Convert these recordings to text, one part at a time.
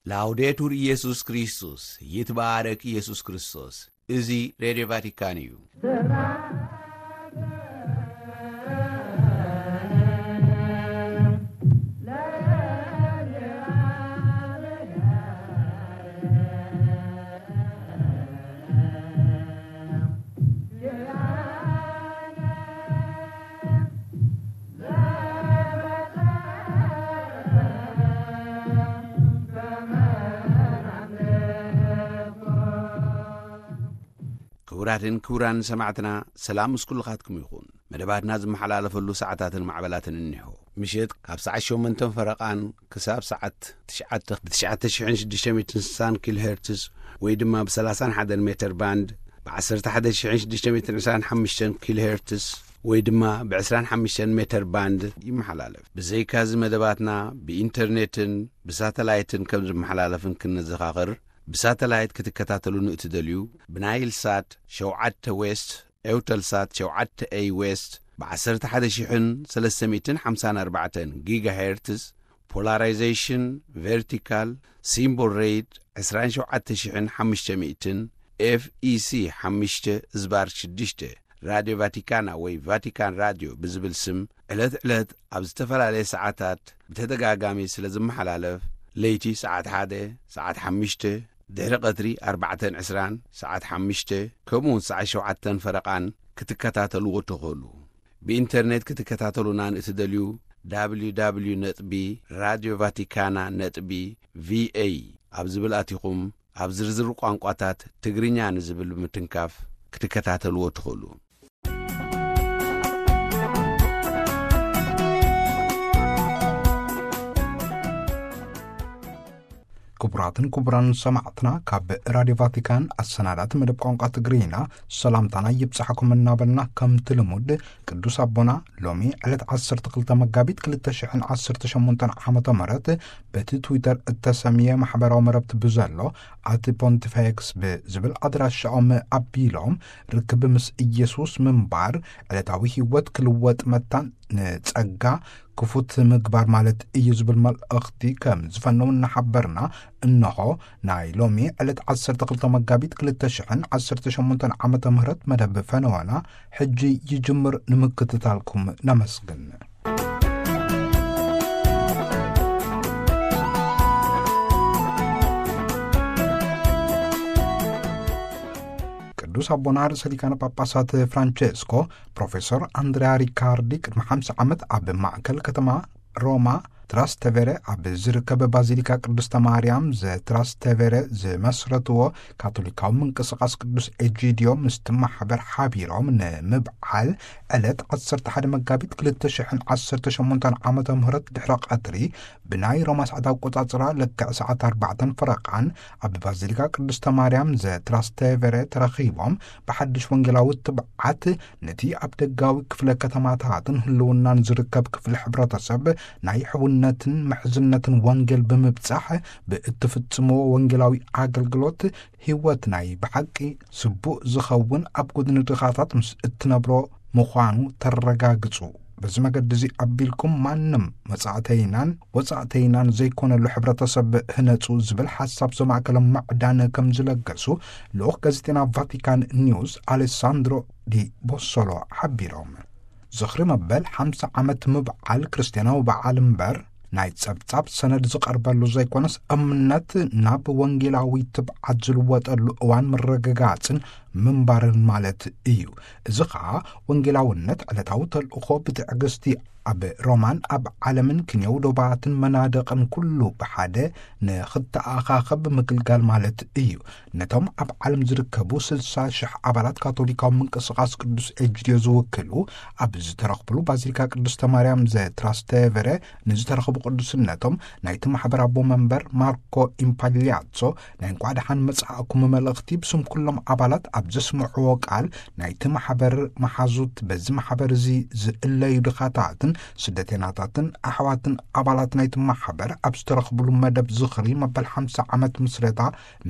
ላውዴቱር ኢየሱስ ክርስቶስ፣ ይትባረክ ኢየሱስ ክርስቶስ። እዚ ሬድዮ ቫቲካን እዩ። ክቡራትን ክቡራን ሰማዕትና፣ ሰላም ምስ ኩልኻትኩም ይኹን። መደባትና ዝመሓላለፈሉ ሰዓታትን ማዕበላትን እኒሆ። ምሸት ካብ ሰዓት ሸሞንተን ፈረቓን ክሳብ ሰዓት ትሽዓተ ብ ትሽዓተ ሽሕን ሽዱሽተ ሚእትን ስሳን ኪሎ ሄርትዝ ወይ ድማ ብ ሰላሳን ሓደን ሜተር ባንድ፣ ብ ዓሰርተ ሓደ ሽሕን ሽዱሽተ ሚእትን ዕስራን ሓሙሽተን ኪሎ ሄርትዝ ወይ ድማ ብ ዕስራን ሓሙሽተን ሜተር ባንድ ይመሓላለፍ። ብዘይካዚ መደባትና ብኢንተርኔትን ብሳተላይትን ከም ዝመሓላለፍን ክንዘኻኽር፣ ብሳተላይት ክትከታተሉን እትደልዩ፣ ብናይል ሳት ሸውዓተ ዌስት፣ ኤውተል ሳት ሸውዓተ ኤይ ዌስት፣ ብ ዓሰርተ ሓደ ሽሕን ሰለስተ ሚእትን ሓምሳን ኣርባዕተን ጊጋ ሄርትዝ፣ ፖላራይዜሽን ቨርቲካል፣ ሲምቦል ሬት ዕስራን ሸውዓተ ሽሕን ሓሙሽተ ሚእትን፣ ኤፍ ኢ ሲ ሓሙሽተ ዝባር ሽዱሽተ፣ ራድዮ ቫቲካና ወይ ቫቲካን ራድዮ ብዝብል ስም ዕለት ዕለት ኣብ ዝተፈላለየ ሰዓታት ብተደጋጋሚ ስለ ዝመሓላለፍ፣ ለይቲ ሰዓት ሓደ፣ ሰዓት ሓሙሽተ፣ ድሕሪ ቀትሪ ኣርባዕተን ዕስራን፣ ሰዓት ሓሙሽተ፣ ከምኡውን ሰዓት ሸውዓተን ፈረቓን ክትከታተልዎ ትኽእሉ። ብኢንተርኔት ክትከታተሉና ንእትደልዩ፣ ደብሊው ደብሊው ደብሊው ነጥቢ ራድዮ ቫቲካና ነጥቢ ቪ ኤ ኣብ ዝብል ኣቲኹም፣ ኣብ ዝርዝር ቋንቋታት ትግርኛ ንዝብል ብምትንካፍ ክትከታተልዎ ትኽእሉ። ክቡራትን ክቡራን ሰማዕትና፣ ካብ ራድዮ ቫቲካን ኣሰናዳእቲ መደብ ቋንቋ ትግርኛ ሰላምታና ይብጻሕኩም እናበልና፣ ከምቲ ልሙድ ቅዱስ ኣቦና ሎሚ ዕለት ዓሰርተ ክልተ መጋቢት ክልተ ሽሕን ዓሰርተ ሸሞንተን ዓመተ ምህረት በቲ ትዊተር እተሰምየ ማሕበራዊ መረብቲ ብዘሎ ኣቲ ፖንቲፌክስ ብዝብል ኣድራሻኦም ኣቢሎም፣ ርክብ ምስ ኢየሱስ ምንባር ዕለታዊ ህይወት ክልወጥ መታን ንጸጋ ክፉት ምግባር ማለት እዩ ዝብል መልእኽቲ ከም ዝፈነው እናሓበርና፣ እንሆ ናይ ሎሚ ዕለት ዓሰርተ ክልተ መጋቢት ክልተ ሽሕን ዓሰርተ ሸሞንተን ዓመተ ምህረት መደብ ፈነወና ሕጂ ይጅምር። ንምክትታልኩም ነመስግን። ቅዱስ ኣቦና ርእሰ ሊቃነ ጳጳሳት ፍራንቸስኮ ፕሮፌሰር ኣንድሪያ ሪካርዲ ቅድሚ ሓምሳ ዓመት ኣብ ማእከል ከተማ ሮማ ትራስተቬረ ኣብ ዝርከብ ባዚሊካ ቅድስተ ማርያም ዘትራስተቬረ ዝመስረትዎ ካቶሊካዊ ምንቅስቓስ ቅዱስ ኤጂድዮ ምስቲ ማሕበር ሓቢሮም ንምብዓል ዕለት ዓሰርተ ሓደ መጋቢት ክልተ ሽሕን ዓሰርተ ሸሞንተን ዓመተ ምህረት ድሕሪ ቀትሪ ብናይ ሮማ ሰዓት ኣቆጻጽራ ልክዕ ሰዓት ኣርባዕተን ፈረቓን ኣብ ባዚሊካ ቅድስተ ማርያም ዘትራስተቬረ ተረኺቦም ብሓድሽ ወንጌላዊ ትብዓት ነቲ ኣብ ደጋዊ ክፍለ ከተማታትን ህልውናን ዝርከብ ክፍሊ ሕብረተሰብ ናይ ሕውነትን ምሕዝነትን ወንጌል ብምብጻሕ ብእትፍጽምዎ ወንጌላዊ ኣገልግሎት ህይወት ናይ ብሓቂ ስቡእ ዝኸውን ኣብ ጎድኒ ድኻታት ምስ እትነብሮ ምዃኑ ተረጋግጹ። በዚ መገዲ እዚ ኣቢልኩም ማንም መጻእተይናን ወጻእተይናን ዘይኮነሉ ሕብረተሰብ ህነጹ ዝብል ሓሳብ ዘማእከለ ማዕዳን ከም ዝለገሱ ልኡኽ ጋዜጠና ቫቲካን ኒውስ ኣሌሳንድሮ ዲ ቦሶሎ ሓቢሮም። ዝኽሪ መበል ሓምሳ ዓመት ምብዓል ክርስትያናዊ በዓል እምበር ናይ ጸብጻብ ሰነድ ዝቐርበሉ ዘይኮነስ፣ እምነት ናብ ወንጌላዊ ትብዓት ዝልወጠሉ እዋን ምርግጋጽን ምንባርን ማለት እዩ። እዚ ኸኣ ወንጌላውነት ዕለታዊ ተልእኾ ብትዕግስቲ ኣብ ሮማን ኣብ ዓለምን ክንየው ዶባትን መናድቕን ኩሉ ብሓደ ንኽተኣኻኸብ ምግልጋል ማለት እዩ። ነቶም ኣብ ዓለም ዝርከቡ ስልሳ ሽሕ ኣባላት ካቶሊካዊ ምንቅስቓስ ቅዱስ ኤጅድዮ ዝውክሉ ኣብ ዝተረኽብሉ ባዚሊካ ቅድስተ ማርያም ዘትራስተቨረ ንዝተረኽቡ ቅዱስነቶም ናይቲ ማሕበር ኣቦ መንበር ማርኮ ኢምፓሊያትሶ ናይ እንኳዕ ደሓን መጻእኩም መልእኽቲ ብስም ኩሎም ኣባላት ኣብ ዘስምዕዎ ቃል ናይቲ ማሕበር መሓዙት በዚ ማሕበር እዚ ዝእለዩ ድኻታትን ስደተናታትን ኣሕዋትን ኣባላት ናይቲ ማሕበር ኣብ ዝተረኽብሉ መደብ ዝኽሪ መበል ሓምሳ ዓመት ምስረታ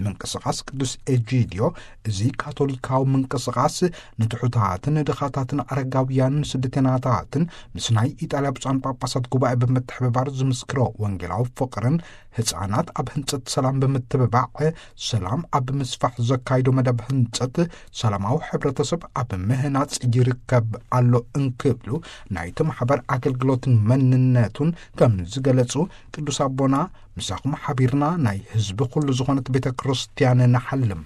ምንቅስቓስ ቅዱስ ኤጂድዮ፣ እዚ ካቶሊካዊ ምንቅስቓስ ንትሑታትን ድኻታትን ኣረጋውያንን ስደተናታትን ምስ ናይ ኢጣልያ ብፁዓን ጳጳሳት ጉባኤ ብምትሕብባር ዝምስክሮ ወንጌላዊ ፍቕርን ህፃናት ኣብ ህንፀት ሰላም ብምትብባዕ፣ ሰላም ኣብ ምስፋሕ ዘካይዶ መደብ ህንፀት ሰላማዊ ሕብረተሰብ ኣብ ምህናፅ ይርከብ ኣሎ እንክብሉ፣ ናይቲ ማሕበር ኣገልግሎትን መንነቱን ከም ዝገለጹ፣ ቅዱስ ኣቦና፣ "ምሳኹም ሓቢርና ናይ ህዝቢ ኩሉ ዝኾነት ቤተ ክርስቲያን ንሓልም።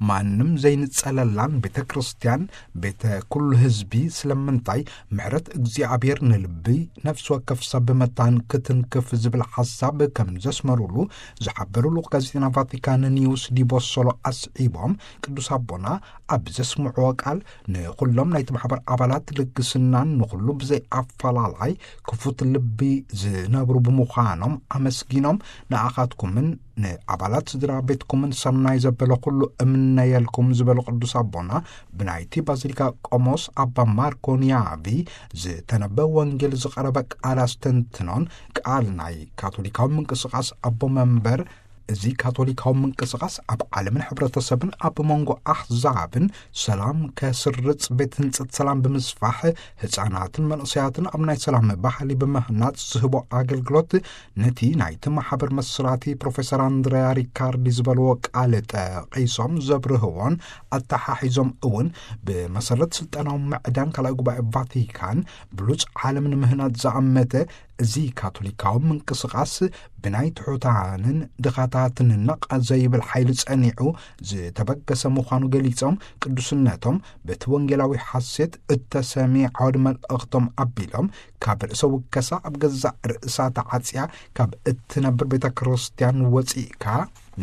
ማንም ዘይንጸለላን ቤተ ክርስቲያን ቤተ ኩሉ ህዝቢ፣ ስለምንታይ ምሕረት እግዚኣብሔር ንልቢ ነፍሲ ወከፍ ሰብ መታን ክትንክፍ?" ዝብል ሓሳብ ከም ዘስመሩሉ ዝሓበሩ ልኡኽ ጋዜጠና ቫቲካን ኒውስ ዲቦሶሎ ኣስዒቦም፣ ቅዱስ ኣቦና ኣብ ዘስምዕዎ ቃል፣ ንኹሎም ናይቲ ማሕበር ኣባላት ልግስናን ንኹሉ ብዘይ ኣፈላላይ ክፉት ልቢ ዝነብሩ ብምዃኖም ኣመስጊኖም፣ ንኣኻትኩምን ንኣባላት ስድራ ቤትኩምን ሰናይ ዘበለ ኩሉ እምነየልኩም ዝበሉ ቅዱስ ኣቦና፣ ብናይቲ ባዚሊካ ቆሞስ ኣባ ማርኮ ኒያቪ ዝተነበ ወንጌል ዝቐረበ ቃል ኣስተንትኖን ቃል ናይ ካቶሊካዊ ምንቅስቓስ ኣቦ መንበር፣ እዚ ካቶሊካዊ ምንቅስቓስ ኣብ ዓለምን ሕብረተሰብን ኣብ መንጎ ኣሕዛብን ሰላም ከስርጽ፣ ቤት ህንጸት ሰላም ብምስፋሕ፣ ህጻናትን መንእሰያትን ኣብ ናይ ሰላም ባህሊ ብምህናጽ ዝህቦ ኣገልግሎት፣ ነቲ ናይቲ ማሕበር መስራቲ ፕሮፌሰር ኣንድሪያ ሪካርዲ ዝበልዎ ቃል ጠቒሶም ዘብርህዎን ኣተሓሒዞም እውን፣ ብመሰረት ስልጣናዊ ምዕዳን ካልኣይ ጉባኤ ቫቲካን ብሉጽ ዓለም ንምህናጽ ዝኣመተ እዚ ካቶሊካዊ ምንቅስቓስ ብናይ ትሑታንን ድኻታትን ነቕ ዘይብል ሓይሊ ጸኒዑ ዝተበገሰ ምዃኑ ገሊጾም፣ ቅዱስነቶም በቲ ወንጌላዊ ሓሴት እተሰምየ ዓውዲ መልእኽቶም ኣቢሎም፣ ካብ ርእሰ ውከሳ ኣብ ገዛእ ርእሳ ተዓጽያ ካብ እትነብር ቤተ ክርስቲያን ወጺእካ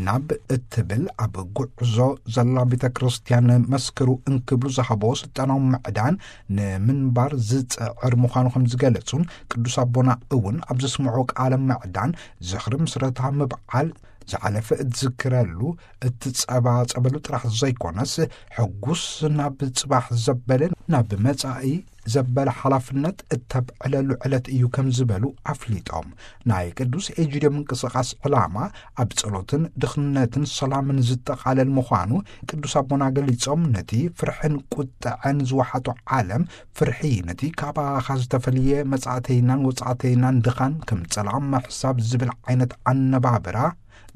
ናብ እትብል ኣብ ጉዕዞ ዘላ ቤተ ክርስቲያን መስክሩ እንክብሉ ዝሃቦ ስልጣናዊ ምዕዳን ንምንባር ዝጽዕር ምዃኑ ከም ዝገለጹን፣ ቅዱስ ኣቦና እውን ኣብ ዘስምዖ ቃለ ምዕዳን ዝኽሪ ምስረታ ምብዓል ዝሓለፈ እትዝክረሉ፣ እትጸባጸበሉ ጥራሕ ዘይኮነስ፣ ሕጉስ ናብ ጽባሕ ዘበለ፣ ናብ መጻኢ ዘበለ ሓላፍነት እተብዕለሉ ዕለት እዩ ከም ዝበሉ ኣፍሊጦም። ናይ ቅዱስ ኤጂድዮ ምንቅስቓስ ዕላማ ኣብ ጸሎትን ድኽነትን ሰላምን ዝጠቓለል ምዃኑ ቅዱስ ኣቦና ገሊጾም፣ ነቲ ፍርሕን ቁጥዐን ዝወሓጦ ዓለም ፍርሒ ነቲ ካባኻ ዝተፈልየ መጻእተይናን ወጻእተይናን ድኻን ከም ጸላም ምሕሳብ ዝብል ዓይነት ኣነባብራ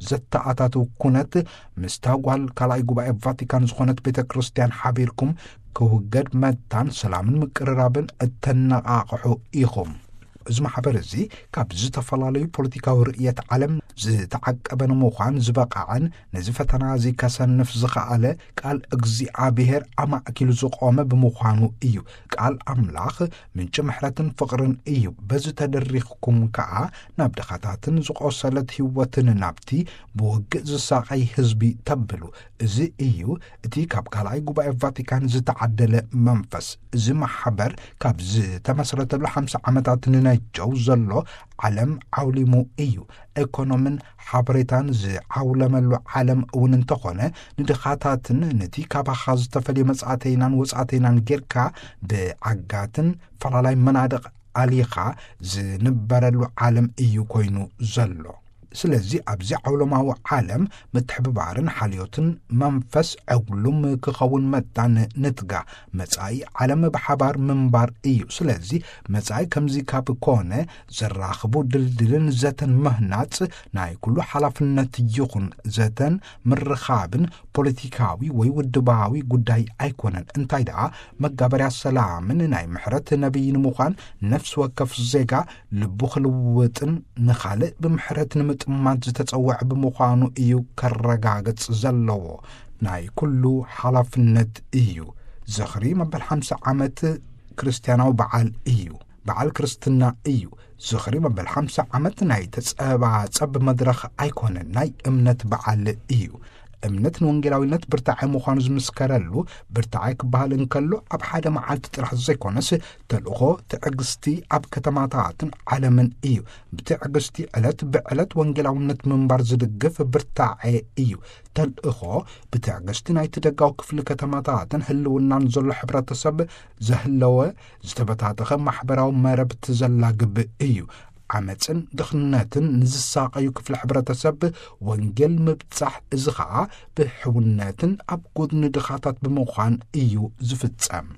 ዘተኣታትው ኩነት፣ ምስታ ጓል ካልኣይ ጉባኤ ቫቲካን ዝኾነት ቤተ ክርስቲያን ሓቢርኩም ክውገድ መታን ሰላምን ምቅርራብን እተነቓቕሑ ኢኹም። እዚ ማሕበር እዚ ካብ ዝተፈላለዩ ፖለቲካዊ ርእየት ዓለም ዝተዓቀበ ንምዃን ዝበቓዐን ነዚ ፈተና እዚ ከሰንፍ ዝኸኣለ ቃል እግዚኣብሔር ኣማእኪሉ ዝቖመ ብምዃኑ እዩ። ቃል ኣምላኽ ምንጪ ምሕረትን ፍቕርን እዩ። በዚ ተደሪኽኩም ከኣ ናብ ድኻታትን ዝቖሰለት ህይወትን ናብቲ ብውግእ ዝሳቐይ ህዝቢ ተብሉ። እዚ እዩ እቲ ካብ ካልኣይ ጉባኤ ቫቲካን ዝተዓደለ መንፈስ። እዚ ማሕበር ካብ ዝተመስረተሉ ሓምሳ ዓመታት ንነጀው ዘሎ ዓለም ዓውሊሙ እዩ። ኤኮኖምን ሓበሬታን ዝዓውለመሉ ዓለም እውን እንተኾነ፣ ንድኻታትን ነቲ ካባኻ ዝተፈልየ መጻእተይናን ወጻእተይናን ጌርካ ብዓጋትን ፈላላይ መናድቕ ኣሊኻ ዝንበረሉ ዓለም እዩ ኮይኑ ዘሎ። ስለዚ ኣብዚ ዓውሎማዊ ዓለም ምትሕብባርን ሓልዮትን መንፈስ ዕጉሉም ክኸውን መታን ንትጋ። መጻኢ ዓለም ብሓባር ምንባር እዩ። ስለዚ መጻኢ ከምዚ ካብ ኮነ፣ ዘራኽቡ ድልድልን ዘተን ምህናጽ ናይ ኩሉ ሓላፍነት ይኹን። ዘተን ምርኻብን ፖለቲካዊ ወይ ውድባዊ ጉዳይ ኣይኮነን። እንታይ ደኣ፣ መጋበርያ ሰላምን ናይ ምሕረት ነቢይ ንምዃን፣ ነፍሲ ወከፍ ዜጋ ልቡ ክልውጥን ንኻልእ ብምሕረት ንምጥማት ዝተጸውዐ ብምዃኑ እዩ ከረጋግጽ ዘለዎ። ናይ ኩሉ ሓላፍነት እዩ። ዝኽሪ መበል ሓምሳ ዓመት ክርስትያናዊ በዓል እዩ። በዓል ክርስትና እዩ። ዝኽሪ መበል ሓምሳ ዓመት ናይ ተጸባጸብ መድረኽ ኣይኮነን፣ ናይ እምነት በዓል እዩ። እምነት ንወንጌላዊነት ብርታዐ ምዃኑ ዝምስከረሉ፣ ብርታዐ ክበሃል እንከሎ ኣብ ሓደ መዓልቲ ጥራሕ ዘይኮነስ፣ ተልእኾ ትዕግስቲ ኣብ ከተማታትን ዓለምን እዩ። ብትዕግስቲ ዕለት ብዕለት ወንጌላውነት ምንባር ዝድግፍ ብርታዐ እዩ። ተልእኾ ብትዕግስቲ ናይቲ ደጋዊ ክፍሊ ከተማታትን ህልውናን ዘሎ ሕብረተሰብ ዘህለወ ዝተበታተኸ ማሕበራዊ መረብቲ ዘላግብ እዩ። ዓመፅን ድኽነትን ንዝሳቐዩ ክፍሊ ሕብረተሰብ ወንጌል ምብጻሕ፣ እዚ ኸኣ ብሕውነትን ኣብ ጎድኒ ድኻታት ብምዃን እዩ ዝፍጸም።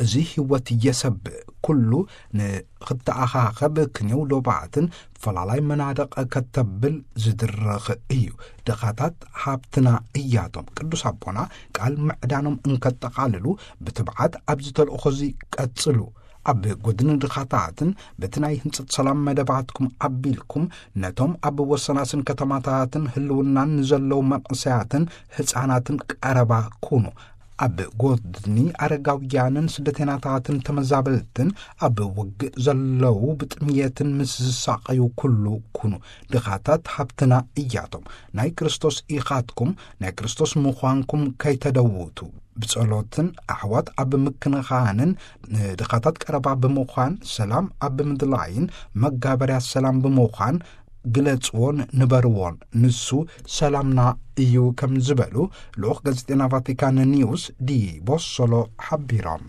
እዚ ህይወት የሰብእ። ኩሉ ንኽተኣኻኸብ ክንየው ዶባትን ፈላላይ መናደቕ ከተብል ዝድረኽ እዩ። ድኻታት ሃብትና እያቶም። ቅዱስ ኣቦና ቃል ምዕዳኖም እንከጠቓልሉ ብትብዓት ኣብዚ ተልእኾ እዚ ቀጽሉ። ኣብ ጎድኒ ድኻታትን በቲ ናይ ህንጸት ሰላም መደባትኩም ኣቢልኩም ነቶም ኣብ ወሰናስን ከተማታትን ህልውናን ንዘለዉ መንእሰያትን ህጻናትን ቀረባ ኩኑ። ኣብ ጎድኒ ኣረጋውያንን ስደተናታትን ተመዛበልትን ኣብ ውግእ ዘለዉ ብጥምየትን ምስ ዝሳቐዩ ኩሉ ኩኑ። ድኻታት ሃብትና እያቶም። ናይ ክርስቶስ ኢኻትኩም፣ ናይ ክርስቶስ ምዃንኩም ከይተደውቱ። ብጸሎትን ኣሕዋት ኣብ ምክንኻንን ንድኻታት ቀረባ ብምዃን ሰላም ኣብ ምድላይን መጋበርያ ሰላም ብምዃን ግለጽዎን ንበርዎን። ንሱ ሰላምና እዩ ከም ዝበሉ ልኡኽ ጋዜጠና ቫቲካን ኒውስ ዲ ቦሶሎ ሓቢሮም።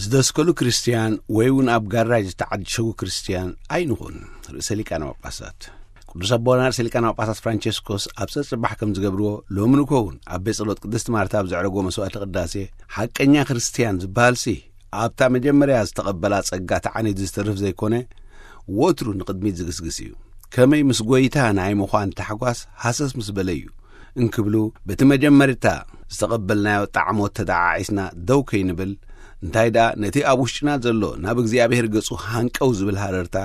ዝደስከሉ ክርስትያን ወይ እውን ኣብ ጋራጅ ዝተዓሸጉ ክርስትያን ኣይንኹን። ርእሰ ሊቃነ ጳጳሳት ቅዱስ ኣቦና ርእሰ ሊቃነ ጳጳሳት ፍራንቸስኮስ ኣብ ጸጽባሕ ከም ዝገብርዎ ሎሚ ንግሆ እውን ኣብ ቤት ጸሎት ቅድስት ማርታ ኣብ ዘዕረጎ መስዋዕቲ ቅዳሴ ሓቀኛ ክርስትያን ዝበሃልሲ ኣብታ መጀመርያ ዝተቐበላ ጸጋ ተዓኒዱ ዝተርፍ ዘይኮነ ወትሩ ንቕድሚት ዝግስግስ እዩ። ከመይ ምስ ጐይታ ናይ ምዃን ታሕጓስ ሃሰስ ምስ በለ እዩ እንክብሉ በቲ መጀመርታ ዝተቐበልናዮ ጣዕሞት ተደዓዒስና ደው ከይንብል እንታይ ደኣ ነቲ ኣብ ውሽጥና ዘሎ ናብ እግዚኣብሔር ገጹ ሃንቀው ዝብል ሃረርታ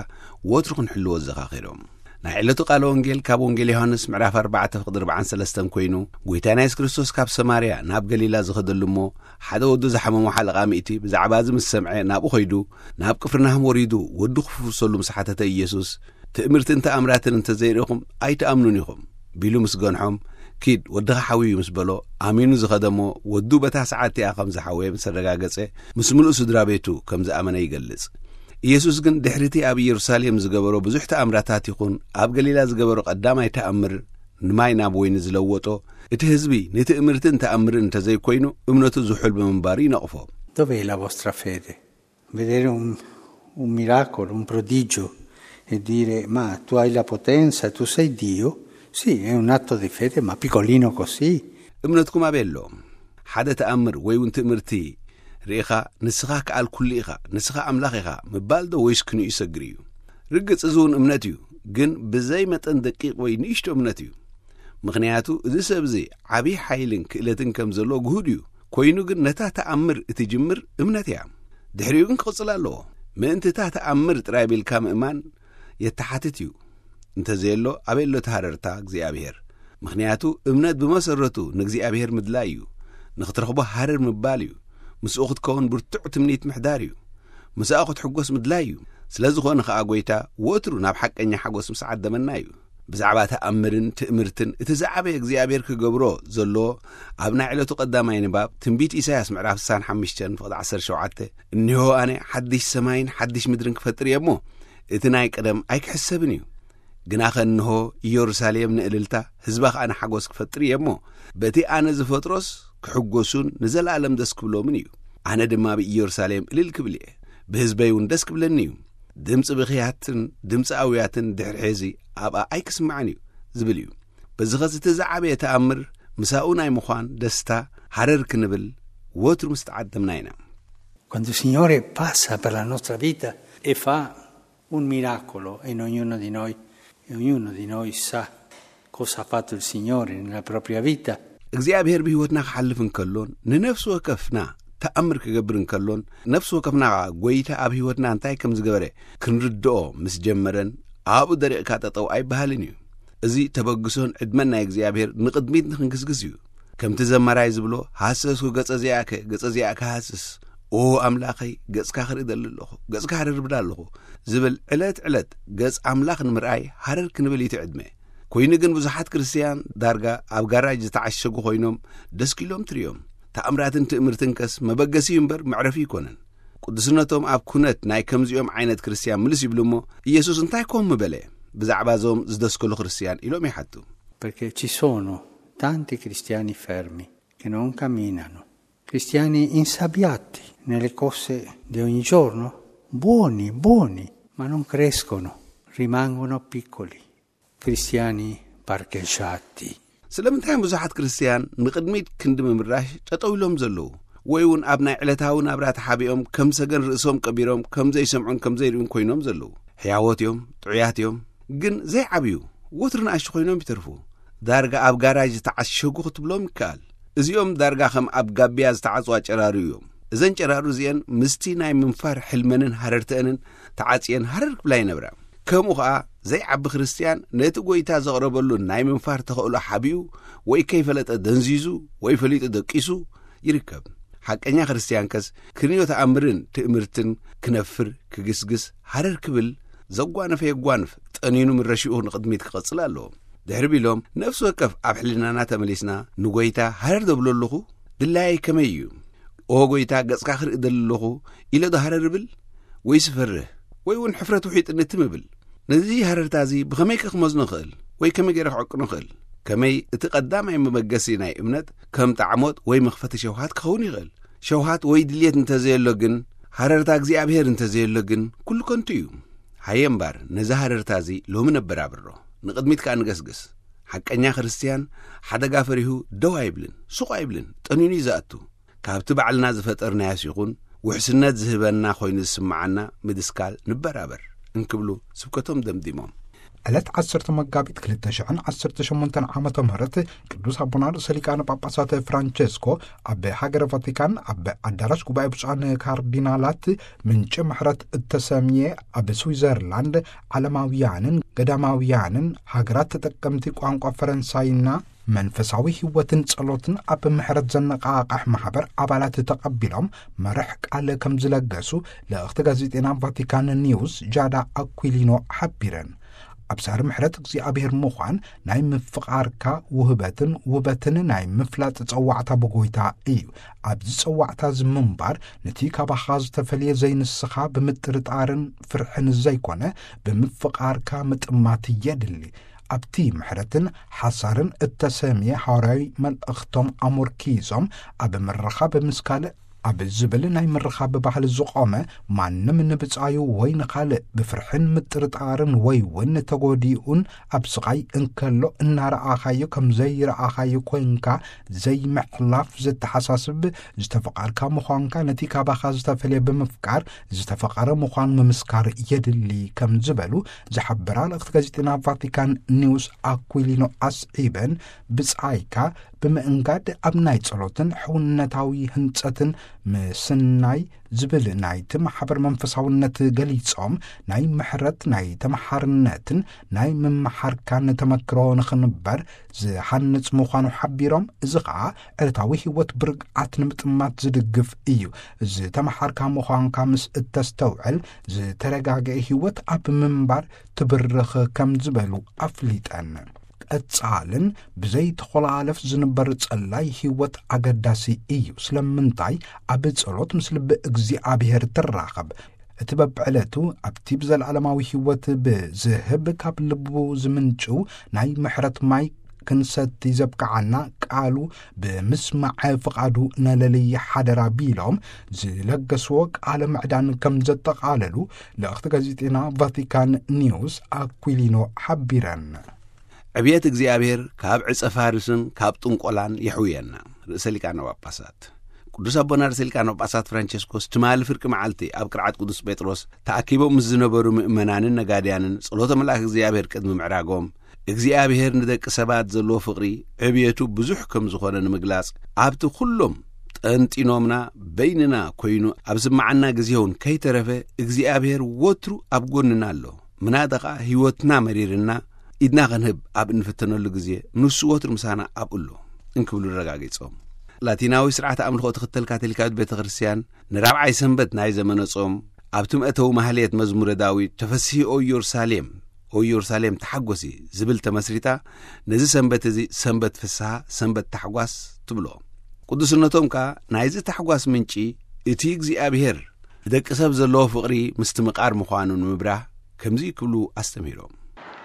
ወትሩ ክንሕልዎ ዘኻኺሮም። ናይ ዕለቱ ቃለ ወንጌል ካብ ወንጌል ዮሃንስ ምዕራፍ ኣርባዕተ ፍቕዲ ኣርባዓን ሰለስተን ኮይኑ ጎይታና የሱስ ክርስቶስ ካብ ሰማርያ ናብ ገሊላ ዝኸደሉ እሞ ሓደ ወዱ ዝሓመሞ ሓለቓ ሚእቲ ብዛዕባ እዚ ምስ ሰምዐ ናብኡ ኸይዱ ናብ ቅፍርናሆም ወሪዱ ወዱ ክፍውሰሉ ምስ ሓተተ ኢየሱስ ትእምርትን ተኣምራትን እንተዘይርኢኹም ኣይትኣምኑን ኢኹም ቢሉ ምስ ገንሖም ኪድ ወድኻ ሓውዩ ምስ በሎ ኣሚኑ ዝኸደሞ ወዱ በታ ሰዓት እቲኣ ከም ዝሓወየ ምስ ኣረጋገጸ ምስ ምሉእ ስድራ ቤቱ ከም ዝኣመነ ይገልጽ። ኢየሱስ ግን ድሕሪቲ ኣብ ኢየሩሳሌም ዝገበሮ ብዙሕ ተኣምራታት ይኹን ኣብ ገሊላ ዝገበሮ ቀዳማይ ተኣምር ንማይ ናብ ወይኒ ዝለወጦ እቲ ህዝቢ ንትእምርትን ተኣምርን እንተዘይኮይኑ እምነቱ ዝሑል ብምንባሩ ይነቕፎ። Dov'è la vostra fede? Vedere un, un miracolo, un prodigio e dire ma tu hai la potenza, tu sei Dio, sì, è un atto di fede, ma piccolino così. እምነትኩም ኣበይ ኣሎ? ሓደ ተኣምር ወይ እውን ትእምርቲ ርኢኻ ንስኻ ከኣል ኩሉ ኢኻ፣ ንስኻ ኣምላኽ ኢኻ ምባል ዶ ወይስ ክንኡ ይሰግር እዩ? ርግጽ እዚ እውን እምነት እዩ፣ ግን ብዘይ መጠን ደቂቕ ወይ ንእሽቶ እምነት እዩ። ምኽንያቱ እዚ ሰብ እዚ ዓብዪ ሓይልን ክእለትን ከም ዘሎ ግሁድ እዩ። ኮይኑ ግን ነታ ተኣምር እትጅምር እምነት እያ። ድሕሪኡ ግን ክቕጽል ኣለዎ። ምእንቲ እታ ተኣምር ጥራይ ቢልካ ምእማን የተሓትት እዩ። እንተዘየሎ ኣበይ ኣሎ እቲ ሃረርታ እግዚኣብሔር? ምኽንያቱ እምነት ብመሰረቱ ንእግዚኣብሔር ምድላይ እዩ። ንኽትረኽቦ ሃረር ምባል እዩ። ምስኡ ክትከውን ብርቱዕ ትምኒት ምሕዳር እዩ። ምስኣ ክትሕጎስ ምድላይ እዩ። ስለ ዝኾነ ኸኣ ጐይታ ወትሩ ናብ ሓቀኛ ሓጎስ ምስ ዓደመና እዩ። ብዛዕባ ተኣምርን ትእምርትን እቲ ዝዓበየ እግዚኣብሔር ክገብሮ ዘሎ ኣብ ናይ ዕለቱ ቀዳማይ ንባብ ትንቢት ኢሳያስ ምዕራፍ ስሳን ሓሙሽተን ፍቕዲ ዓሰርተ ሸውዓተ እኒሆ ኣነ ሓድሽ ሰማይን ሓድሽ ምድርን ክፈጥር እየ እሞ እቲ ናይ ቀደም ኣይክሕሰብን እዩ። ግናኸ እንሆ ኢየሩሳሌም ንእልልታ ህዝባ ኸኣ ንሓጎስ ክፈጥር እየ እሞ በቲ ኣነ ዝፈጥሮስ ክሕጎሱን ንዘለኣለም ደስ ክብሎምን እዩ። ኣነ ድማ ኣብ ኢየሩሳሌም እልል ክብል እየ፣ ብህዝበይ እውን ደስ ክብለኒ እዩ። ድምፂ ብኽያትን ድምፂ ኣውያትን ድሕሪ ሕዚ ኣብኣ ኣይክስማዕን እዩ ዝብል እዩ። በዚ ኸዚ እቲ ዝዓበየ ተኣምር ምሳኡ ናይ ምዃን ደስታ ሃረር ክንብል ወትሩ ምስ ተዓደምና ኢና። Quando il Signore passa per la nostra vita e fa un miracolo in ognuno di noi, e ognuno di noi sa cosa ha fatto il Signore nella propria vita. እግዚኣብሔር ብህይወትና ክሓልፍ እንከሎን ንነፍሲ ወከፍና ተኣምር ክገብር እንከሎን ነፍሲ ወከፍና ኸዓ ጐይታ ኣብ ህይወትና እንታይ ከም ዝገበረ ክንርድኦ ምስ ጀመረን ኣብኡ ደሪቕካ ጠጠው ኣይበሃልን እዩ። እዚ ተበግሶን ዕድመን ናይ እግዚኣብሔር ንቕድሚት ንኽንግስግስ እዩ። ከምቲ ዘማራይ ዝብሎ ሃሰስኩ ገጸ ዚኣከ ገጸ ዚኣከ ሃስስ ኦ ኣምላኸይ ገጽካ ክርኢ ደሊ ኣለኹ ገጽካ ሃረርብዳ ኣለኹ ዝብል ዕለት ዕለት ገጽ ኣምላኽ ንምርኣይ ሃረር ክንብል እዩ እቲ ዕድመ። ኮይኑ ግን ብዙሓት ክርስትያን ዳርጋ ኣብ ጋራጅ ዝተዓሸጉ ኮይኖም ደስኪሎም ትርእዮም። ተኣምራትን ትእምርትን ከስ መበገሲ እዩ እምበር መዕረፊ ኣይኮነን። ቅዱስነቶም ኣብ ኩነት ናይ ከምዚኦም ዓይነት ክርስትያን ምልስ ይብሉ እሞ ኢየሱስ እንታይ ኮም ምበለ ብዛዕባ እዞም ዝደስከሉ ክርስትያን ኢሎም ይሓቱ። Perché ci sono tanti cristiani fermi che non camminano, cristiani insabbiati nelle cose di ogni giorno, buoni, buoni, ma non crescono, rimangono piccoli, cristiani parcheggiati. ስለምንታይ ብዙሓት ክርስትያን ንቕድሚት ክንዲ ምምራሽ ጠጠው ኢሎም ዘለዉ? ወይ እውን ኣብ ናይ ዕለታዊ ናብራ ተሓቢኦም ከም ሰገን ርእሶም ቀቢሮም ከም ዘይሰምዑን ከም ዘይርእዩን ኮይኖም ዘለዉ። ሕያዎት እዮም፣ ጥዑያት እዮም፣ ግን ዘይዓብዩ፣ ወትሩ ንኣሽቱ ኮይኖም ይተርፉ። ዳርጋ ኣብ ጋራጅ ዝተዓሸጉ ክትብሎም ይከኣል። እዚኦም ዳርጋ ከም ኣብ ጋቢያ ዝተዓጽዋ ጨራሩ እዮም። እዘን ጨራሩ እዚአን ምስቲ ናይ ምንፋር ሕልመንን ሃረርተአንን ተዓጽየን ሃረር ክብላ ይነብራ። ከምኡ ኸኣ ዘይዓቢ ክርስትያን ነቲ ጐይታ ዘቕረበሉ ናይ ምንፋር ተኽእሎ ሓቢኡ ወይ ከይፈለጠ ደንዚዙ ወይ ፈሊጡ ደቂሱ ይርከብ። ሓቀኛ ክርስትያንከስ ክንዮ ተኣምርን ትእምርትን ክነፍር ክግስግስ ሃረር ክብል ዘጓነፈ የጓንፍ፣ ጠኒኑ ምረሽኡ ንቕድሚት ክቐጽል ኣለዎ። ድሕሪ ቢሎም ነፍሲ ወከፍ ኣብ ሕልናና ተመሊስና ንጐይታ ሃረር ደብሎ ኣለኹ፣ ድላየይ ከመይ እዩ? ኦ ጐይታ ገጽካ ክርኢ ደሊ ኣለኹ ኢለ ዶ ሃረር እብል? ወይስ እፈርህ? ወይ እውን ሕፍረት ውሒጥኒ ትም እብል? ነዚ ሃረርታ እዚ ብኸመይ ከ ክመዝኖ እኽእል? ወይ ከመይ ገይረ ክዕቅኖ እኽእል? ከመይ እቲ ቀዳማይ መበገሲ ናይ እምነት ከም ጣዕሞት ወይ መኽፈቲ ሸውሃት ክኸውን ይኽእል? ሸውሃት ወይ ድልየት እንተዘየሎ ግን፣ ሃረርታ እግዚኣብሔር እንተዘየሎ ግን፣ ኩሉ ከንቱ እዩ። ሃየ እምባር፣ ነዚ ሃረርታ እዚ ሎሚ ነበራብሮ፣ ንቕድሚት ከኣ ንገስግስ። ሓቀኛ ክርስትያን ሓደጋ ፈሪሁ ደው ኣይብልን፣ ሱቕ ኣይብልን፣ ጠኒኑ እዩ ዝኣቱ። ካብቲ ባዕልና ዝፈጠርናዮስ ይኹን ውሕስነት ዝህበና ኮይኑ ዝስምዓና ምድስካል ንበራበር እንክብሉ ስብከቶም ደምዲሞም። ዕለት ዓሰርተ መጋቢት ክልተ ሽሕን ዓሰርተ ሸሞንተን ዓመተ ምህረት ቅዱስ ኣቦና ርእሰ ሊቃነ ጳጳሳት ፍራንቸስኮ ኣብ ሃገረ ቫቲካን ኣብ ኣዳራሽ ጉባኤ ብፁዓን ካርዲናላት ምንጪ ምሕረት እተሰምየ ኣብ ስዊዘርላንድ ዓለማውያንን ገዳማውያንን ሃገራት ተጠቀምቲ ቋንቋ ፈረንሳይና መንፈሳዊ ህይወትን ጸሎትን ኣብ ምሕረት ዘነቓቕሕ ማሕበር ኣባላት ተቐቢሎም መርሕ ቃል ከም ዝለገሱ ልእኽቲ ጋዜጤና ቫቲካን ኒውስ ጃዳ ኣኩሊኖ ሓቢረን። ኣብ ሳሪ ምሕረት እግዚኣብሔር ምዃን ናይ ምፍቓርካ ውህበትን ውበትን ናይ ምፍላጥ ጸዋዕታ ብጎይታ እዩ። ኣብዚ ጸዋዕታ እዚ ምንባር ነቲ ካባኻ ዝተፈልየ ዘይንስኻ ብምጥርጣርን ፍርሕን ዘይኮነ ብምፍቓርካ ምጥማት የድሊ። ኣብቲ ምሕረትን ሓሳርን እተሰምየ ሃዋርያዊ መልእኽቶም ኣሞርኪዞም ኣብ ምርኻብ ምስ ካልእ ኣብ ዝብል ናይ ምርኻብ ባህሊ ዝቖመ ማንም ንብጻዩ ወይ ንኻልእ ብፍርሕን ምጥርጣርን ወይ እውን ተጎዲኡን ኣብ ስቓይ እንከሎ እናረኣኻዮ ከም ዘይረኣኻዮ ኮይንካ ዘይምሕላፍ ዘተሓሳስብ ዝተፈቓርካ ምዃንካ ነቲ ካባኻ ዝተፈልየ ብምፍቃር ዝተፈቐረ ምዃን ምምስካር የድሊ ከም ዝበሉ ዝሓበራ ልእኽቲ ጋዜጠና ቫቲካን ኒውስ ኣኩሊኖ ኣስዒበን ብጻይካ ብምእንጋድ ኣብ ናይ ጸሎትን ሕውነታዊ ህንጸትን ምስናይ ዝብል ናይቲ ማሕበር መንፈሳውነት ገሊጾም ናይ ምሕረት ናይ ተመሓርነትን ናይ ምምሓርካን ተመክሮ ንኽንበር ዝሃንጽ ምዃኑ ሓቢሮም እዚ ኸኣ ዕለታዊ ህይወት ብርግኣት ንምጥማት ዝድግፍ እዩ። ዝተመሓርካ ምዃንካ ምስ እተስተውዕል ዝተረጋገአ ህይወት ኣብ ምንባር ትብርኽ ከም ዝበሉ ኣፍሊጠን። ቀጻልን ብዘይተኾላለፍ ዝንበር ጸላይ ህይወት ኣገዳሲ እዩ። ስለምንታይ ኣብ ጸሎት ምስ ልቢ እግዚኣብሔር ትራኸብ። እቲ በብዕለቱ ኣብቲ ብዘለዓለማዊ ህይወት ብዝህብ ካብ ልቡ ዝምንጭው ናይ ምሕረት ማይ ክንሰቲ ዘብቅዓና ቃሉ ብምስማዕ ፍቓዱ ነለልይ ሓደራ ቢሎም ዝለገስዎ ቃለ ምዕዳን ከም ዘጠቓለሉ ልእኽቲ ጋዜጤና ቫቲካን ኒውስ ኣኩሊኖ ሓቢረን። ዕብየት እግዚኣብሔር ካብ ዕጸ ፋርስን ካብ ጥንቆላን የሕውየና። ርእሰ ሊቃነ ጳጳሳት ቅዱስ ኣቦና ርእሰ ሊቃነ ጳጳሳት ፍራንቸስኮስ ትማሊ ፍርቂ መዓልቲ ኣብ ቅርዓት ቅዱስ ጴጥሮስ ተኣኪቦም ምስ ዝነበሩ ምእመናንን ነጋድያንን ጸሎተ መልኣክ እግዚኣብሔር ቅድሚ ምዕራጎም እግዚኣብሔር ንደቂ ሰባት ዘለዎ ፍቕሪ ዕብየቱ ብዙሕ ከም ዝኾነ ንምግላጽ ኣብቲ ኩሎም ጠንጢኖምና በይንና ኮይኑ ኣብ ዝመዓና ግዜ እውን ከይተረፈ እግዚኣብሔር ወትሩ ኣብ ጎንና ኣሎ። ምናዳ ኸኣ ህይወትና መሪርና ኢድና ክንህብ ኣብ እንፍተነሉ ግዜ ንሱ ወትሩ ምሳና ኣብኡ ኣሎ እንክብሉ ኣረጋጊጾም። ላቲናዊ ስርዓተ ኣምልኾ ትኽተል ካቶሊካዊት ቤተ ክርስቲያን ንራብዓይ ሰንበት ናይ ዘመነ ጾም ኣብቲ መእተዊ ማህሌት መዝሙረ ዳዊት ተፈስሂ ኦ ኢየሩሳሌም ኦ ኢየሩሳሌም ተሓጎሲ ዝብል ተመስሪታ ነዚ ሰንበት እዚ ሰንበት ፍስሃ ሰንበት ታሕጓስ ትብሎ። ቅዱስነቶም ከኣ ናይዚ ታሕጓስ ምንጪ እቲ እግዚኣብሔር ንደቂ ሰብ ዘለዎ ፍቕሪ ምስትምቓር ምዃኑ ንምብራህ ከምዚ ክብሉ ኣስተምህሮም።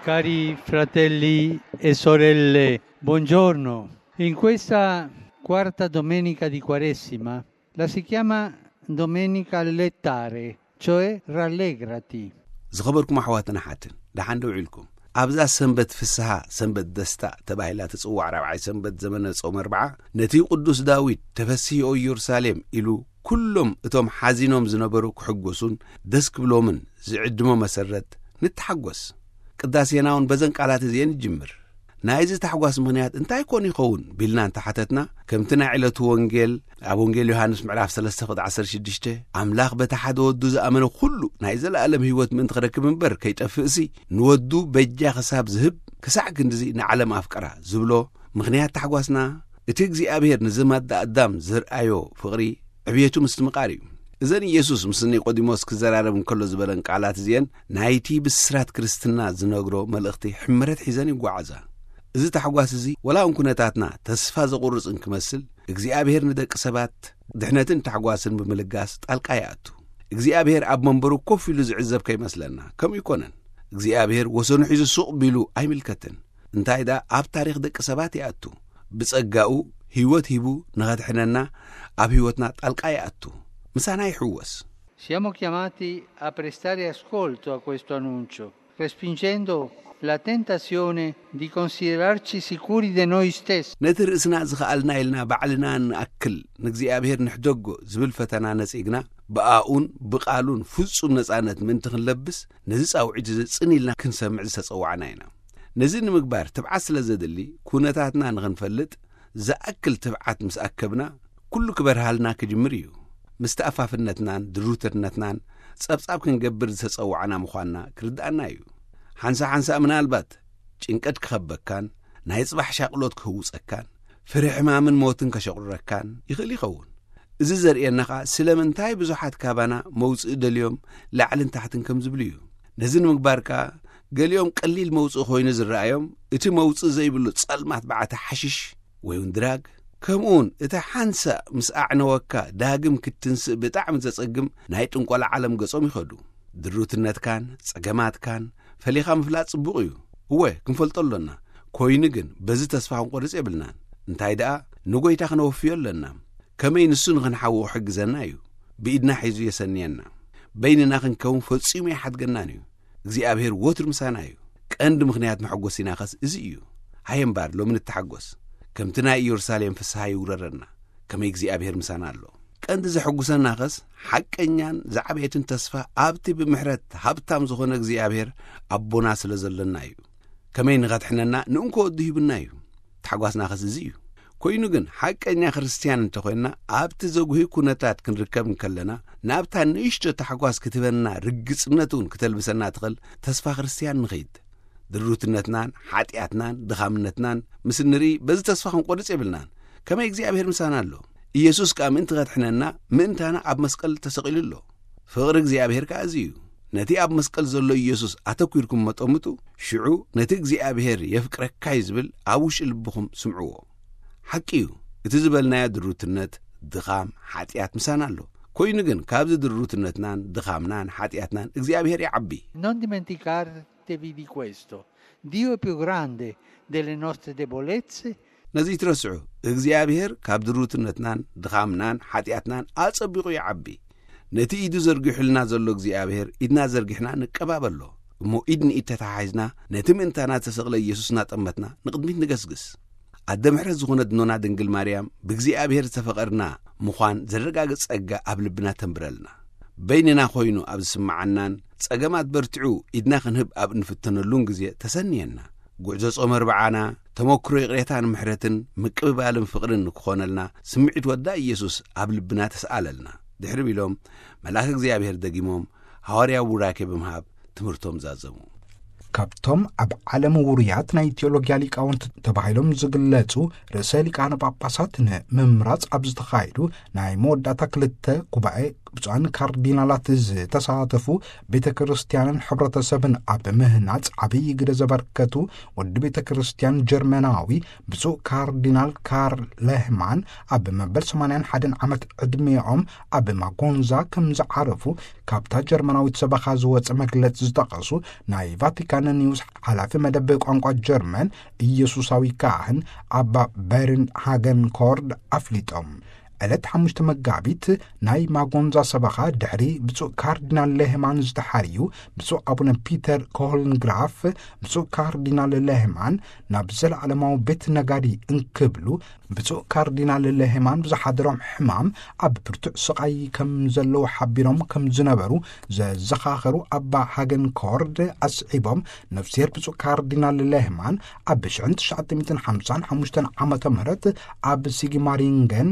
Cari fratelli e sorelle, buongiorno. In questa quarta domenica di Quaresima, la si chiama Domenica Lettare, cioè rallegrati. ዝኸበርኩም ኣሕዋትን ኣሓትን ደሓን ዶ ውዒልኩም? ኣብዛ ሰንበት ፍስሃ፣ ሰንበት ደስታ ተባሂላ ትጽዋዕ ራብዓይ ሰንበት ዘመነ ጾም ኣርብዓ፣ ነቲ ቅዱስ ዳዊት፣ "ተፈስሂ ኦ ኢየሩሳሌም" ኢሉ፣ ኩሎም እቶም ሓዚኖም ዝነበሩ ክሕጎሱን ደስ ክብሎምን ዝዕድሞ መሰረት ንተሓጎስ። ቅዳሴና እውን በዘን ቃላት እዚኤን ይጅምር። ናይዚ ታሕጓስ ምኽንያት እንታይ ኮን ይኸውን ቢልና እንተሓተትና፣ ከምቲ ናይ ዕለቱ ወንጌል ኣብ ወንጌል ዮሃንስ ምዕራፍ ሰለስተ ቁጥሪ ዓሰርተ ሽዱሽተ፣ "ኣምላኽ በቲ ሓደ ወዱ ዝኣመነ ኩሉ ናይ ዘለኣለም ህይወት ምእንቲ ክረክብ እምበር ከይጠፍእሲ፣ ንወዱ በጃ ክሳብ ዝህብ ክሳዕ ክንድዚ ንዓለም ኣፍቀራ" ዝብሎ፣ ምኽንያት ታሕጓስና እቲ እግዚኣብሔር ንዘማዳ ኣዳም ዘርኣዮ ፍቕሪ ዕብየቱ ምስትምቓር እዩ። እዘን ኢየሱስ ምስ ኒቆዲሞስ ክዘራረብ እንከሎ ዝበለን ቃላት እዚኤን ናይቲ ብስራት ክርስትና ዝነግሮ መልእኽቲ ሕምረት ሒዘን ይጓዓዛ። እዚ ታሕጓስ እዚ ወላ እውን ኩነታትና ተስፋ ዘቑርጽ እንክመስል፣ እግዚኣብሔር ንደቂ ሰባት ድሕነትን ታሕጓስን ብምልጋስ ጣልቃ ይኣቱ። እግዚኣብሔር ኣብ መንበሩ ኮፍ ኢሉ ዝዕዘብ ከይመስለና፣ ከምኡ ይኮነን። እግዚኣብሔር ወሰኑ ሒዙ ሱቕ ቢሉ ኣይምልከትን። እንታይ ደኣ ኣብ ታሪኽ ደቂ ሰባት ይኣቱ። ብጸጋኡ ህይወት ሂቡ ንኸድሕነና ኣብ ህይወትና ጣልቃ ይኣቱ። ምሳና ይሕወስ። Siamo chiamati a prestare ascolto a questo annuncio, respingendo la tentazione di considerarci sicuri di noi stessi. ነቲ ርእስና ዝኸኣልና ኢልና ባዕልና ንኣክል ንእግዚኣብሔር ንሕደጎ ዝብል ፈተና ነጺግና፣ ብኣኡን ብቓሉን ፍጹም ነጻነት ምእንቲ ክንለብስ፣ ነዚ ጻውዒት እዚ ጽን ኢልና ክንሰምዕ ዝተጸዋዕና ኢና። ነዚ ንምግባር ትብዓት ስለ ዘድሊ፣ ኩነታትና ንኽንፈልጥ ዝኣክል ትብዓት ምስ ኣከብና፣ ኩሉ ክበርሃልና ክጅምር እዩ። ምስቲ ኣፋፍነትናን ድሩትነትናን ጸብጻብ ክንገብር ዝተጸዋዕና ምዃንና ክርድኣና እዩ። ሓንሳ ሓንሳ ምናልባት ጭንቀት ክኸበካን ናይ ጽባሕ ሻቕሎት ክህውጸካን ፍርሒ ሕማምን ሞትን ከሸቑረካን ይኽእል ይኸውን። እዚ ዘርእየና ኸኣ ስለምንታይ ብዙሓት ካባና መውጽኢ ደልዮም ላዕልን ታሕትን ከም ዝብሉ እዩ። ነዚ ንምግባር ከኣ ገሊኦም ቀሊል መውጽኢ ኮይኑ ዝረኣዮም እቲ መውጽኢ ዘይብሉ ጸልማት በዓቲ ሓሽሽ ወይ እውን ድራግ፣ ከምኡውን እቲ ሓንሳእ ምስ ኣዕነወካ ዳግም ክትትንስእ ብጣዕሚ ዘጸግም ናይ ጥንቆላ ዓለም ገጾም ይኸዱ። ድሩትነትካን ጸገማትካን ፈሊኻ ምፍላጥ ጽቡቕ እዩ። እወ፣ ክንፈልጦ ኣሎና። ኮይኑ ግን በዚ ተስፋ ክንቆርጽ የብልናን። እንታይ ደኣ ንጎይታ ክነወፍዮ ኣለና። ከመይ ንሱ ንኽንሓዊ ክሕግዘና እዩ። ብኢድና ሒዙ የሰንየና። በይንና ክንከውን ፈጺሙ ኣይሓድገናን እዩ። እግዚኣብሔር ወትሩ ምሳና እዩ። ቀንዲ ምኽንያት መሐጎሲናኸስ እዚ እዩ። ሃየ እምባር ሎሚ ንተሓጎስ። ከምቲ ናይ ኢየሩሳሌም ፍስሃ ይውረረና። ከመይ እግዚኣብሔር ምሳና ኣሎ። ቀንዲ ዘሐጉሰናኸስ ሓቀኛን ዝዓበየትን ተስፋ ኣብቲ ብምሕረት ሃብታም ዝኾነ እግዚኣብሔር ኣቦና ስለ ዘሎና እዩ። ከመይ ንኸድሕነና ንእንኮ ወዱ ሂቡና እዩ። ታሕጓስናኸስ እዚ እዩ። ኮይኑ ግን ሓቀኛ ክርስትያን እንተኾይንና ኣብቲ ዘጉሂ ኩነታት ክንርከብ እንከለና ናብታ ንእሽቶ ታሕጓስ ክትህበና ርግጽነት እውን ክተልብሰና ትኽእል ተስፋ ክርስትያን ንኸይድ። ድሩትነትናን ሓጢኣትናን ድኻምነትናን ምስ እንርኢ በዚ ተስፋ ክንቆርጽ የብልናን። ከመይ እግዚኣብሔር ምሳና ኣሎ። ኢየሱስ ከኣ ምእንቲ ከድሕነና ምእንታና ኣብ መስቀል ተሰቒሉ ኣሎ። ፍቕሪ እግዚኣብሔር ከኣ እዚ እዩ። ነቲ ኣብ መስቀል ዘሎ ኢየሱስ ኣተኲርኩም መጠምጡ፣ ሽዑ ነቲ እግዚኣብሔር የፍቅረካ እዩ ዝብል ኣብ ውሽጢ ልብኹም ስምዕዎ። ሓቂ እዩ፣ እቲ ዝበልናዮ ድሩትነት፣ ድኻም፣ ሓጢኣት ምሳና ኣሎ። ኮይኑ ግን ካብዚ ድሩትነትናን ድኻምናን ሓጢኣትናን እግዚኣብሔር ይዓቢ። Non dimenticatevi di questo. Dio è più grande delle nostre debolezze. ነዚ ይትረስዑ፣ እግዚኣብሔር ካብ ድሩትነትናን ድኻምናን ሓጢኣትናን ኣጸቢቑ ይዓቢ። ነቲ ኢዱ ዘርጊሑልና ዘሎ እግዚኣብሔር ኢድና ዘርጊሕና ንቀባበሎ። እሞ ኢድ ንኢድ ተተሓሒዝና ነቲ ምእንታና ዝተሰቕለ ኢየሱስ እናጠመትና ንቕድሚት ንገስግስ። ኣደ ምሕረት ዝኾነት እኖና ድንግል ማርያም ብእግዚኣብሔር ዝተፈቐርና ምዃን ዘረጋግጽ ጸጋ ኣብ ልብና ተንብረልና። በይንና ኮይኑ ኣብ ዝስምዓናን ጸገማት በርትዑ ኢድና ክንህብ ኣብ እንፍተነሉን ግዜ ተሰንየና። ጉዕዞ ጾም ኣርብዓና ተመክሮ ይቕሬታን ምሕረትን ምቅብባልን ፍቕርን ንክኾነልና ስምዒት ወዳ ኢየሱስ ኣብ ልብና ተስኣለልና። ድሕሪ ቢሎም መልኣክ እግዚኣብሔር ደጊሞም ሃዋርያዊ ቡራኬ ብምሃብ ትምህርቶም ዛዘሙ። ካብቶም ኣብ ዓለም ውሩያት ናይ ቴዎሎጊያ ሊቃውንት ተባሂሎም ዝግለጹ ርእሰ ሊቃነ ጳጳሳት ንምምራጽ ኣብ ዝተኻየዱ ናይ መወዳእታ ክልተ ጉባኤ ብፁዓን ካርዲናላት ዝተሳተፉ ቤተ ክርስቲያንን ሕብረተሰብን ኣብ ምህናጽ ዓብዪ ግደ ዘበርከቱ ወዲ ቤተ ክርስቲያን ጀርመናዊ ብፁዕ ካርዲናል ካርል ለህማን ኣብ መበል ሰማንያን ሓደን ዓመት ዕድሜኦም ኣብ ማጎንዛ ከም ዝዓረፉ ካብታ ጀርመናዊት ሰበኻ ዝወጸ መግለጺ ዝጠቐሱ ናይ ቫቲካን ኒውስ ሓላፊ መደብ ቋንቋ ጀርመን ኢየሱሳዊ ካህን ኣባ በርን ሃገን ኮርድ ኣፍሊጦም። ዕለት ሓሙሽተ መጋቢት ናይ ማጎንዛ ሰበኻ ድሕሪ ብፁዕ ካርዲናል ሌህማን ዝተሓርዩ ብፁዕ ኣቡነ ፒተር ኮሆልንግራፍ፣ ብፁዕ ካርዲናል ሌህማን ናብ ዘለዓለማዊ ቤት ነጋዲ እንክብሉ፣ ብፁዕ ካርዲናል ሌህማን ብዝሓደሮም ሕማም ኣብ ብርቱዕ ስቓይ ከም ዘለዉ ሓቢሮም ከም ዝነበሩ ዘዘኻኸሩ ኣባ ሃገን ኮርድ ኣስዒቦም፣ ነፍስሔር ብፁዕ ካርዲናል ሌህማን ኣብ ሽሕን ትሽዓተ ሚእትን ሓምሳን ሓሙሽተን ዓመተ ምህረት ኣብ ሲግማሪንገን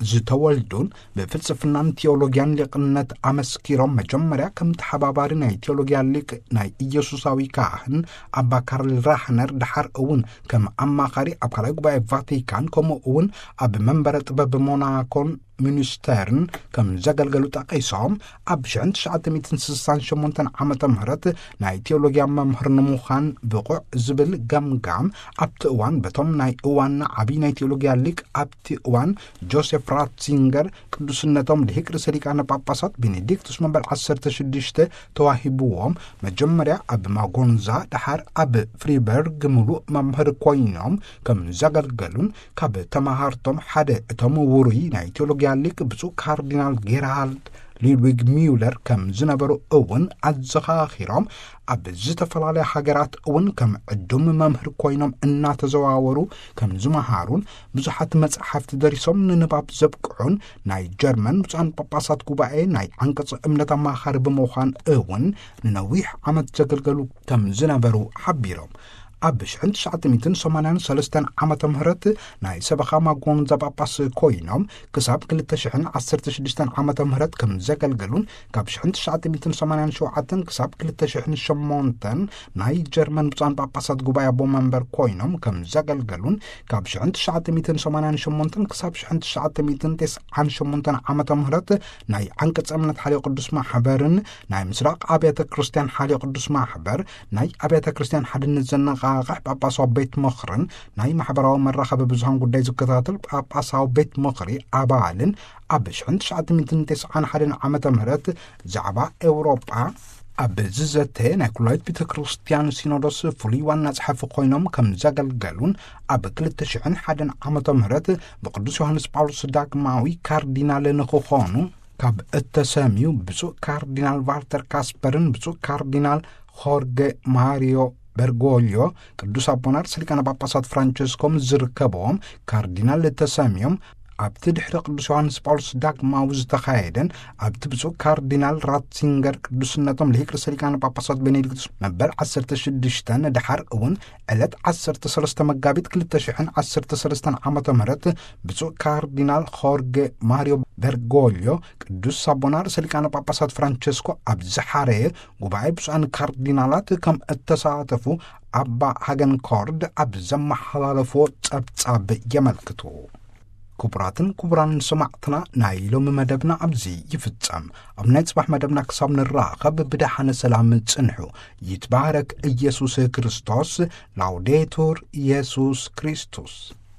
ዝተወልዱን ብፍልስፍናን ቴዎሎጊያን ሊቕነት ኣመስኪሮም፣ መጀመርያ ከም ተሓባባሪ ናይ ቴዎሎጊያ ሊቅ ናይ ኢየሱሳዊ ካህን ኣባ ካርል ራህነር፣ ደሓር እውን ከም ኣማኻሪ ኣብ ካልኣይ ጉባኤ ቫቲካን፣ ከምኡ እውን ኣብ መንበረ ጥበብ ሞናኮን ሚኒስተርን ከም ዘገልገሉ ጠቒሶም፣ ኣብ ሽሕን ትሽዓተ ሚእትን ስሳን ሸሞንተን ዓመተ ምህረት ናይ ቴዎሎጊያ መምህር ንምዃን ብቑዕ ዝብል ገምጋም ኣብቲ እዋን በቶም ናይ እዋንና ዓብዪ ናይ ቴዎሎጊያ ሊቅ ኣብቲ እዋን ጆሴፍ ራትዚንገር ቅዱስነቶም ልሂቅ ርእሰ ሊቃነ ጳጳሳት ቤኔዲክቱስ መበል ዓሰርተ ሽዱሽተ ተዋሂብዎም፣ መጀመርያ ኣብ ማጎንዛ፣ ደሓር ኣብ ፍሪበርግ ምሉእ መምህር ኮይኖም ከም ዘገልገሉን፣ ካብ ተማሃርቶም ሓደ እቶም ውሩይ ናይ ቴዎሎጊያ ሊቅ ብፁዕ ካርዲናል ጌርሃርድ ሉድዊግ ሚውለር ከም ዝነበሩ እውን ኣዘኻኺሮም፣ ኣብ ዝተፈላለያ ሃገራት እውን ከም ዕዱም መምህር ኮይኖም እናተዘዋወሩ ከም ዝመሃሩን፣ ብዙሓት መጻሕፍቲ ደሪሶም ንንባብ ዘብቅዑን፣ ናይ ጀርመን ብፁዓን ጳጳሳት ጉባኤ ናይ ዓንቀጸ እምነት ኣማኻሪ ብምዃን እውን ንነዊሕ ዓመት ዘገልገሉ ከም ዝነበሩ ሓቢሮም። ኣብ ሽሕን ትሽዓተ ሚእትን ሰማንያን ሰለስተን ዓመተ ምህረት ናይ ሰበኻ ማጎንዛ ጳጳስ ኮይኖም ክሳብ ክልተ ሽሕን ዓሰርተ ሽዱሽተን ዓመተ ምህረት ከም ዘገልገሉን፣ ካብ ሽሕን ትሽዓተ ሚእትን ሰማንያን ሸውዓተን ክሳብ ክልተ ሽሕን ሸሞንተን ናይ ጀርመን ብፁዓን ጳጳሳት ጉባኤ ኣቦ መንበር ኮይኖም ከም ዘገልገሉን፣ ካብ ሽሕን ትሽዓተ ሚእትን ሰማንያን ሸሞንተን ክሳብ ሽሕን ትሽዓተ ሚእትን ተስዓን ሸሞንተን ዓመተ ምህረት ናይ ዓንቀጸ እምነት ሓልዮ ቅዱስ ማሕበርን ናይ ምስራቕ ኣብያተ ክርስቲያን ሓልዮ ቅዱስ ማሕበር ናይ ኣብያተ ክርስቲያን ሓድነት ዘነቓቕሕ ጳጳሳዊ ቤት ምኽርን ናይ ማሕበራዊ መራኸቢ ብዙሃን ጉዳይ ዝከታተል ጳጳሳዊ ቤት ምኽሪ ኣባልን፣ ኣብ ሽሕን ትሽዓተ ሚእትን ተስዓን ሓደን ዓመተ ምህረት ዛዕባ ኤውሮጳ ኣብ ዝዘተ ናይ ኩላዊት ቤተ ክርስቲያን ሲኖዶስ ፍሉይ ዋና ጸሓፊ ኮይኖም ከም ዘገልገሉን፣ ኣብ ክልተ ሽሕን ሓደን ዓመተ ምህረት ብቅዱስ ዮሃንስ ጳውሎስ ዳግማዊ ካርዲናል ንክኾኑ ካብ እተሰምዩ ብፁዕ ካርዲናል ቫልተር ካስፐርን ብፁዕ ካርዲናል ሆርገ ማሪዮ በርጎልዮ፣ ቅዱስ ኣቦና ርእሰ ሊቃነ ጳጳሳት ፍራንቸስኮ ምስ ዝርከብዎም ካርዲናል ተሰምዮም፣ ኣብቲ ድሕሪ ቅዱስ ዮሃንስ ጳውሎስ ዳግማዊ ዝተኻየደን ኣብቲ ብፁዕ ካርዲናል ራትሲንገር ቅዱስነቶም ልሂቅ ርእሰ ሊቃነ ጳጳሳት ቤኔዲክቱስ መበል ዓሰርተ ሽዱሽተ፣ ደሓር እውን ዕለት ዓሰርተ ሰለስተ መጋቢት ክልተ ሽሕን ዓሰርተ ሰለስተን ዓመተ ምህረት ብፁዕ ካርዲናል ሆርገ ማሪዮ በርጎልዮ፣ ቅዱስ ኣቦና ርእሰ ሊቃነ ጳጳሳት ፍራንቸስኮ ኣብ ዝሓረየ ጉባኤ ብፁዓን ካርዲናላት ከም እተሳተፉ ኣባ ሃገን ኮርድ ኣብ ዘመሓላለፍዎ ጸብጻብ የመልክቱ። ክቡራትን ክቡራን ሰማዕትና፣ ናይ ሎሚ መደብና ኣብዚ ይፍጸም። ኣብ ናይ ጽባሕ መደብና ክሳብ ንራኸብ ብደሓነ ሰላም ጽንሑ። ይትባረክ ኢየሱስ ክርስቶስ። ላውዴቱር ኢየሱስ ክርስቶስ።